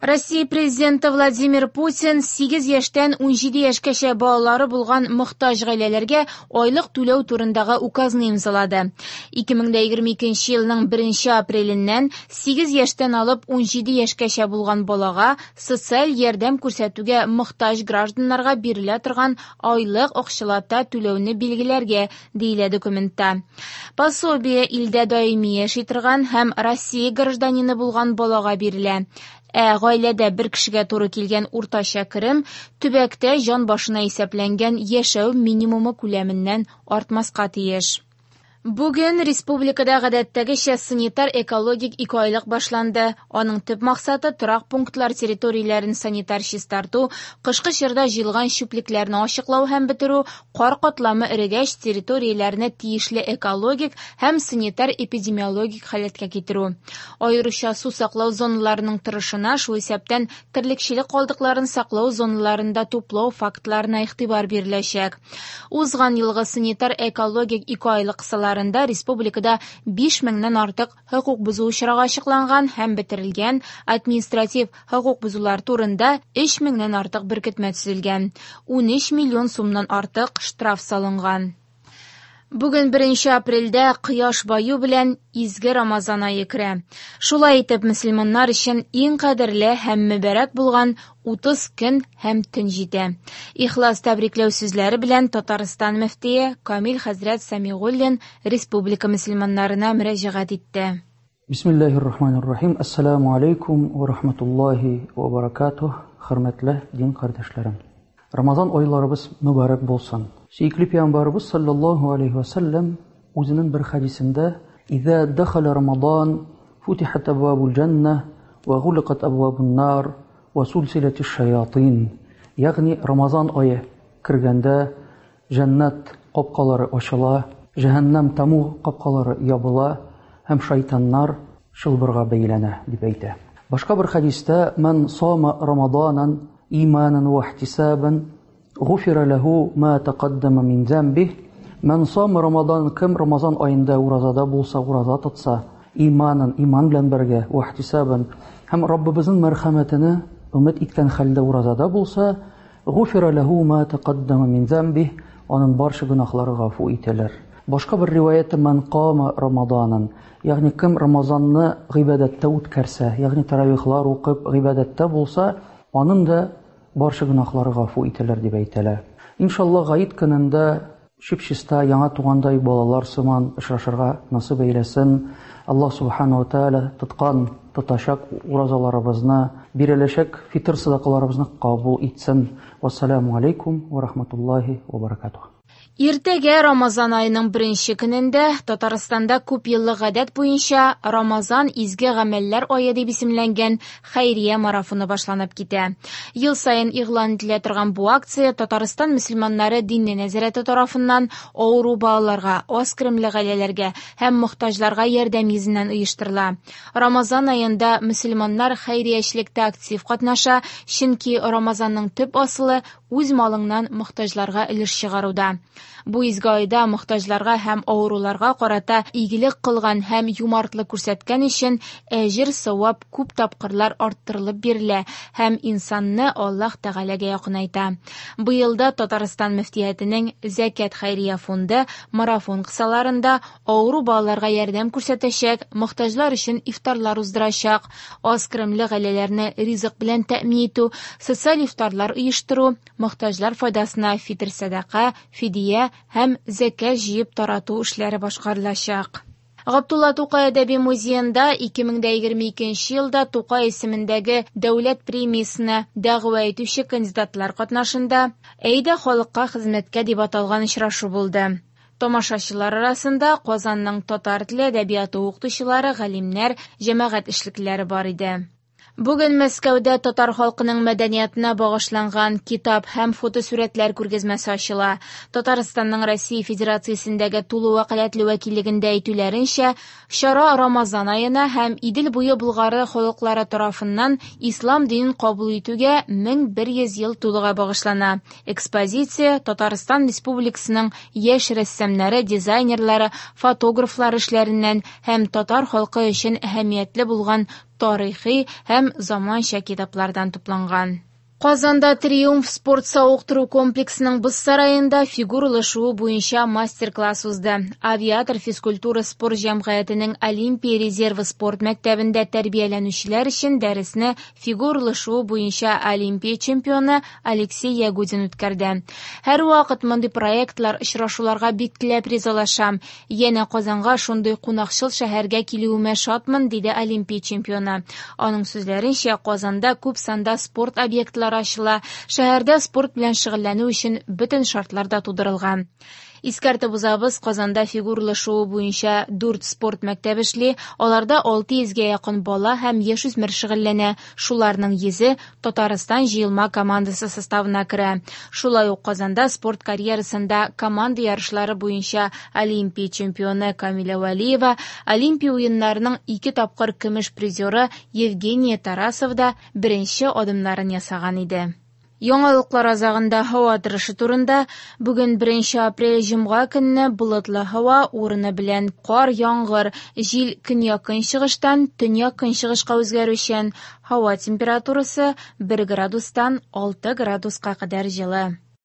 Россия Президенты Владимир Путин 8 яшьтән 17 яшькәчә балалары булган мохтаҗ гаиләләргә айлык түләү турындагы указны имзалады. 2022 елның 1 апреленнән 8 яшьтән алып 17 яшькәчә булган балага социаль ярдәм күрсәтүгә мохтаҗ гражданнарга бирелә торган айлык акчалата түләүне билгеләргә, диелә документта. Пособие илдә даими яши торган һәм Россия гражданины булган балага бирелә. Ә гаиләдә бер кешегә туры килгән уртача керем төбәктә җан башына исәпләнгән яшәү минимумы күләменнән артмаска тиеш. Бүген республикада гадәттәгечә санитар-экологик икеайлык башланды. Аның төп максаты торак пунктлар территорияләрен санитар чистарту, кышкы чорда җыелган чүплекләрне ачыклау һәм бетерү, кар катламы эрегәч территорияләрне тиешле экологик һәм санитар-эпидемиологик халәткә китерү. Аеруча су саклау зоналарының торышына, шул исәптән терлекчелек калдыкларын саклау зоналарында туплау фактларына игътибар биреләчәк. Узган елгы санитар-экологик икеайлык кысаларында республикада 5 меңнән артык хокук бозу очрагы ачыкланган һәм бетерелгән, административ хокук бозулар турында 3 меңнән артык беркетмә төзелгән, 13 миллион сумнан артык штраф салынган. Бүген 1 апрельдә кояш баю белән изге Рамазан ае керә. Шулай итеп, мөселманнар өчен иң кадерле һәм мөбарәк булган 30 көн һәм төн җитә. Ихлас тәбрикләү сүзләре белән Татарстан мөфтие Камил хәзрәт Сәмигуллин республика мөселманнарына мөрәҗәгать итте. Бисмиллахир-рахманир-рахим. Ассаламу алейкум ва рахматуллахи ва баракатух. Хөрмәтле дин кардәшләрем. Рамазан айларыбыз мөбарәк булсын. Сөекле пәйгамбәребез саллаллаһу алейхи ва саллям үзенең бер хәдисендә: "Иза дахала Рамадан, футихат абвабул җанна ва гуликат абвабун нар ва сулсилатиш шаятин." Ягъни Рамазан ае кергәндә җәннәт капкалары ачыла, җәһәннәм таму капкалары ябыла һәм шайтаннар чылбырга бәйләнә дип әйтә. Башка бер хәдистә: "Ман сама Рамаданан иманан ва ихтисабан гуфира лаху ма тaqaddama мин замбих." Ман сама Рамадан, кем Рамазан аенда уразада булса, ураза тотса, иманан, иман белән бергә, ва ихтисабан һәм Раббыбызның мәрхәмәтенә өмет иткән хәлдә уразада булса, гуфира лаху ма тaqaddama мин замбих, аның барча гөнаһлары гафу ителер. Башка бер риваятта: "Ман кама Рамаданан", ягъни кем Рамазанны гыйбадәттә үткәрсә, ягъни таравихлар укып гыйбадәттә булса, аның да барча гөнаһлары гафу ителер дип әйтелә. Иншалла, гает көнендә чип-чиста яңа тугандай балалар сыман очрашырга насыйп әйләсен. Аллаһ субхану ва тааля тоткан, тотачак уразаларыбызны, биреләчәк фитр садакаларыбызны кабул итсен. Вассаламу алейкум ва рахматуллахи ва баракатух. Иртәгә Рамазан аеның беренче көнендә Татарстанда күп еллык гадәт буенча Рамазан изге гамәлләр ае дип исемләнгән хәйрия марафоны башланып китә. Ел саен игълан ителә торган бу акция Татарстан мөселманнары дини нәзарәте тарафыннан авыру балаларга, аз керемле гаиләләргә һәм мохтаҗларга ярдәм йөзеннән оештырыла. Рамазан аенда мөселманнар хәйриячелектә актив катнаша, чөнки Рамазанның төп асылы үз малыңнан мохтаҗларга өлеш чыгаруда. Бу изге айда мохтаҗларга һәм авыруларга карата игелек кылган һәм юмартлык күрсәткән өчен әҗер савап күп тапкырлар арттырылып бирелә һәм инсанны Аллаһ Тәгаләгә якынайта. Быелда Татарстан мөфтиятенең Зәкят хәйрия фонды марафон кысаларында авыру балаларга ярдәм күрсәтәчәк, мохтаҗлар өчен ифтарлар уздырачак, аз керемле гаиләләрне ризык белән тәэмин итү, социаль ифтарлар оештыру, мохтаҗлар файдасына фитр сәдака, фидия һәм зәкят җыеп тарату эшләре башкарылачак. Габдулла Тукай әдәби музеенда 2022 елда Тукай исемендәге дәүләт премиясенә дәгъва итүче кандидатлар катнашында «Әйдә халыкка хезмәткә» дип аталган очрашу булды. Тамашачылар арасында Казанның татар теле әдәбияты укытучылары, галимнәр, җәмәгать эшлеклеләре бар иде. Бүген Мәскәүдә татар халкының мәдәниятына багышланган китап һәм фотосурәтләр күргәзмәсе ачыла. Татарстанның Россия Федерациясендәге тулы вәкаләтле вәкиллегендә әйтүләренчә, чара Рамазан аена һәм Идел буе Болгары халыклары тарафыннан ислам динен кабул итүгә 1100 ел тулуга багышлана. Экспозиция Татарстан Республикасының яшь рәссамнары, дизайнерлары, фотографлары эшләреннән һәм татар халкы өчен әһәмиятле булган тарихи һәм заманча китаплардан тупланган. Казанда Триумф спорт савыктыру комплексының боз сараенда фигуралы шуу буенча мастер-класс узды. Авиатор физкультура спорт җәмгыятенең Олимпия резервы спорт мәктәбендә тәрбияләнүчеләр өчен дәресне фигуралы шуу буенча Олимпия чемпионы Алексей Ягудин үткәрде. Һәрвакыт мондый проектлар, очрашуларга бик теләп ризалашам. Янә Казанга шундый кунакчыл шәһәргә килүемә шатмын, диде Олимпия чемпионы. Аның сүзләренчә, Казанда күп санда спорт объектлары ачыла, шәһәрдә спорт белән шөгыльләнү өчен бөтен шартлар да тудырылган. Искәртеп узабыз, Казанда фигуралы шуу буенча 4 спорт мәктәбе эшли, аларда 600гә якын бала һәм яшүсмер шөгыльләнә. Шуларның 100-е Татарстан җыелма командасы составына керә. Шулай ук Казанда спорт карьерасында команда ярышлары буенча Олимпия чемпионы Камилә Вәлиева, Олимпия уеннарының 2 тапкыр көмеш призеры Евгения Тарасова да беренче адымнарын ясаган иде. Яңалыклар азагында һава торышы турында. Бүген 1 апрель җомга көнне болытлы һава, урыны белән кар, яңгыр, җил көньяк-көнчыгыштан төньяк-көнчыгышка үзгәрүчән. Һава температурасы 1 градустан 6 градуска кадәр җылы.